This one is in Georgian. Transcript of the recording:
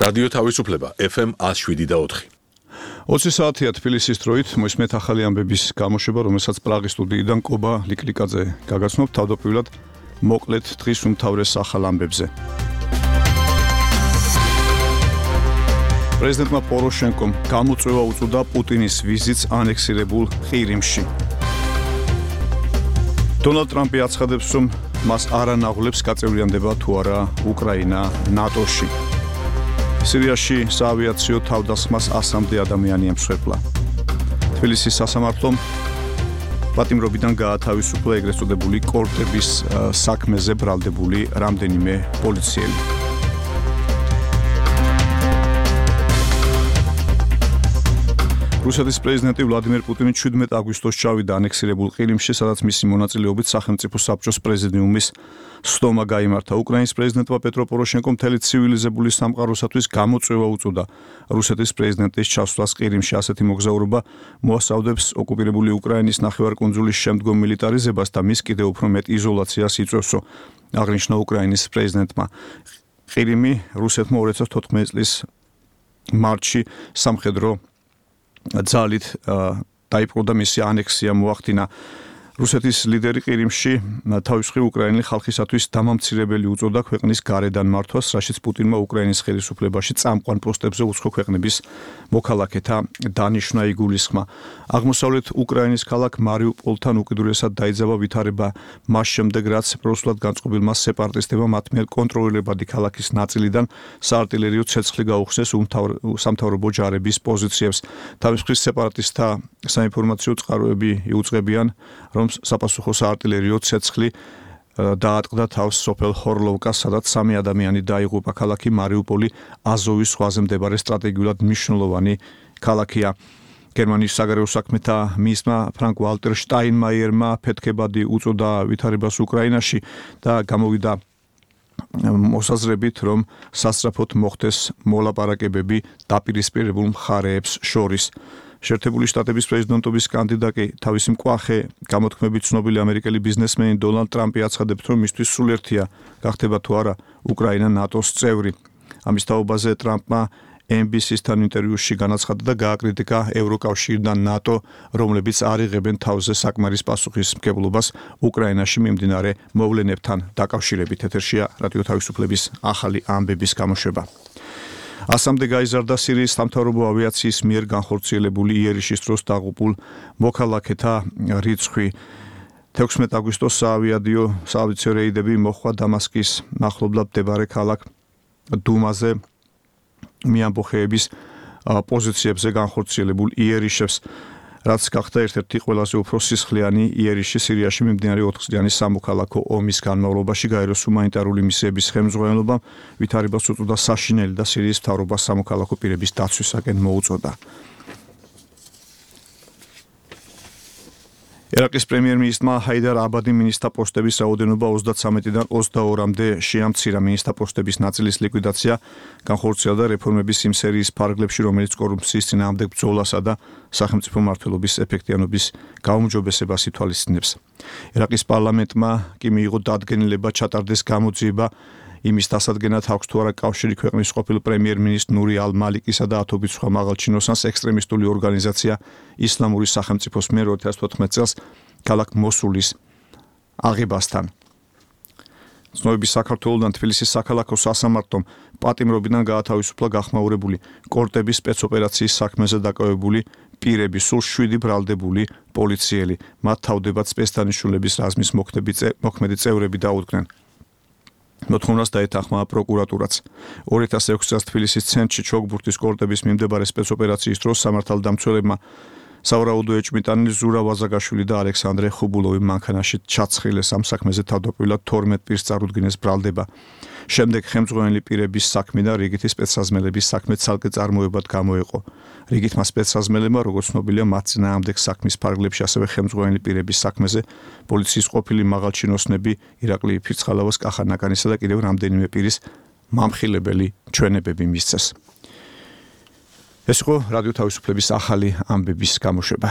რადიო თავისუფლება FM 107.4. 20 საათია თბილისის დროით მოსმენთ ახალი ამბების გამოშვება, რომელსაც პრაღის სტუდიიდან კობა ლიკლიკაძე გაგაცნობთ. თავდაპირველად მოკლედ დღის უმთავრეს ახალ ამბებზე. პრეზიდენტმა პოროშენკომ გამოწვევა უწოდა პუტინის ვიზიტს ანექსირებულ ყირიმში. დონალდ ტრამპი აცხადებს, რომ მას არ ანაღვლებს გაწევრიანდება თუ არა უკრაინა ნატოში. სირიაში საავიაციო თავდასხმას 100-მდე ადამიანი ემსხვერპლა. თბილისის სასამართლომ პატიმრობიდან გაათავისუფლა ეგრეთ წოდებული კორტების საქმეზე ბრალდებული რამდენიმე პოლიციელი. რუსეთის პრეზიდენტი ვლადიმერ პუტინი 17 აგვისტოს ჩავიდა ანექსირებულ ყირიმში, სადაც მისი მონაწილეობით სახელმწიფო საბჭოს პრეზიდიუმის სხდომა გაიმართა. უკრაინის პრეზიდენტმა პეტრო პოროშენკომ მთელი ცივილიზებული სამყაროსათვის გამოწვევა უწოდა რუსეთის პრეზიდენტის ჩასვლას ყირიმში. ასეთი მოგზაურობა მოასწავდებს ოკუპირებული უკრაინის ნახევარკუნძულის შემდგომ მილიტარიზებას და მის კიდევ უფრო მეტ იზოლაციას იწვევსო, აღნიშნა უკრაინის პრეზიდენტმა. ყირიმი რუსეთმა 2014 წლის მარტში სამხედრო ძალით დაიპყრო და მისი ანექსია მოახდინა. რუსეთის ლიდერი ყირიმში თავისუფლ უკრაინელი ხალხისათვის დამამცირებელი უწოდა ქვეყნის გარედან მართვას, რაშიც პუტინმა უკრაინის ხელისუფლებაში წამყვან პოსტებზე უცხო ქვეყნების მოქალაქეთა დანიშვნა იგულისხმა. აღმოსავლეთ უკრაინის ქალაქ მარიუპოლთან უკიდურესად დაიძაბა ვითარება მას შემდეგ, რაც პროსულად განწყობილმა სეპარატისტებმა მათ მიერ კონტროლირებადი ქალაქის ნაწილიდან საარტილერიო ცეცხლი გაუხსნეს სამთავრობო ჯარების პოზიციებს. თავისუფლ სეპარატისტთა საინფორმაციო წყაროები იუწყებიან, რომ საპასუხო საარტილერიო ცეცხლი დაატყდა თავს სოფელ ხორლოვკას, სადაც 3 ადამიანი დაიღუპა. ქალაქი მარიუპოლი აზოვის ზღვაზე მდებარე სტრატეგიულად მნიშვნელოვანი ქალაქია. გერმანიის საგარეო საქმეთა მინისტრმა ფრანკ ვალტერ შტაინმაიერმა ფეთქებადი უწოდა ვითარებას უკრაინაში და გამოვიდა მოსაზრებით, რომ სასწრაფოდ მოხდეს მოლაპარაკებები დაპირისპირებულ მხარეებს შორის. შეერთებული შტატების პრეზიდენტობის კანდიდატი თავისი მკვახე გამოთქმებით ცნობილი ამერიკელი ბიზნესმენი დონალდ ტრამპი აცხადებს, რომ მისთვის სულერთია გახდება თუ არა უკრაინა ნატოს წევრი. ამის თაობაზე ტრამპმა NBC-სთან ინტერვიუში განაცხადა და გააკრიტიკა ევროკავშირი და ნატო, რომლებიც არ იღებენ თავზე საკმარის პასუხისმგებლობას უკრაინაში მიმდინარე მოვლენებთან დაკავშირებით. ეთერშია რადიო თავისუფლების ახალი ამბების გამოშვება. 100-მდე გაიზარდა სირიის სამთავრობო ავიაციის მიერ განხორციელებული იერიშის დროს დაღუპულ მოქალაქეთა რიცხვი. 16 აგვისტოს საავიაციო რეიდები მოხდა დამასკის ახლობლად მდებარე ქალაქ დუმაზე მიამბოხეების პოზიციებზე განხორციელებულ იერიშებს, რაც გახდა ერთ-ერთი ყველაზე უფრო სისხლიანი იერიში სირიაში მიმდინარე 4 წლიანი სამოქალაქო ომის განმავლობაში. გაეროს ჰუმანიტარული მისიების ხელმძღვანელობამ ვითარებას უწოდა საშინელი და სირიის მთავრობას სამოქალაქო პირების დაცვისაკენ მოუწოდა. ერაყის პრემიერ-მინისტრმა ჰაიდარ აბადი მინისტრთა პოსტების რაოდენობა 33-დან 22-მდე შეამცირა. მინისტრთა პოსტების ნაწილის ლიკვიდაცია განხორციელდა რეფორმების იმ სერიის ფარგლებში, რომელიც კორუფციის წინააღმდეგ ბრძოლასა და სახელმწიფო მმართველობის ეფექტიანობის გაუმჯობესებას ითვალისწინებს. ერაყის პარლამენტმა კი მიიღო დადგენილება ჩატარდეს გამოძიება იმის დასადგენად, აქვს თუ არა კავშირი ქვეყნის ყოფილ პრემიერ-მინისტრ ნური ალ-მალიკისა და ათობით სხვა მაღალჩინოსანს ექსტრემისტული ორგანიზაცია ისლამური სახელმწიფოს მიერ 2014 წელს ქალაქ მოსულის აღებასთან. ცნობების საქართველოდან თბილისის საქალაქო სასამართლომ პატიმრობიდან გაათავისუფლა გახმაურებული კორტების სპეცოპერაციის საქმეზე დაკავებული პირები, სულ 7 ბრალდებული პოლიციელი. მათ თავდებად სპეცდანიშნულების რაზმის მოქმედი წევრები დაუდგნენ. მოთხოვნას დაეთანხმა პროკურატურაც. 2006 წელს თბილისის ცენტრში ჩოგბურთის კორტების მიმდებარე სპეცოპერაციის დროს სამართალდამცველებმა სავარაუდო ეჭვმიტანილი ზურა ვაზაგაშვილი და ალექსანდრე ხუბულოვი მანქანაში ჩაცხილეს. ამ საქმეზე თავდაპირველად 12 პირს წარუდგინეს ბრალდება. შემდეგ ხელმძღვანელი პირების საქმე და რიგითი სპეცსაზმელების საქმე ცალკე წარმოებად გამოეყო. რიგითმა სპეცსაზმელებმა, როგორც ცნობილია, მათ წინააღმდეგ საქმის ფარგლებში, ასევე ხელმძღვანელი პირების საქმეზე პოლიციის ყოფილი მაღალჩინოსნები ირაკლი ფირცხალავას, კახა ნაკანისა და კიდევ რამდენიმე პირის მამხილებელი ჩვენებები მისცეს. ეს იყო რადიო თავისუფლების ახალი ამბების გამოშვება.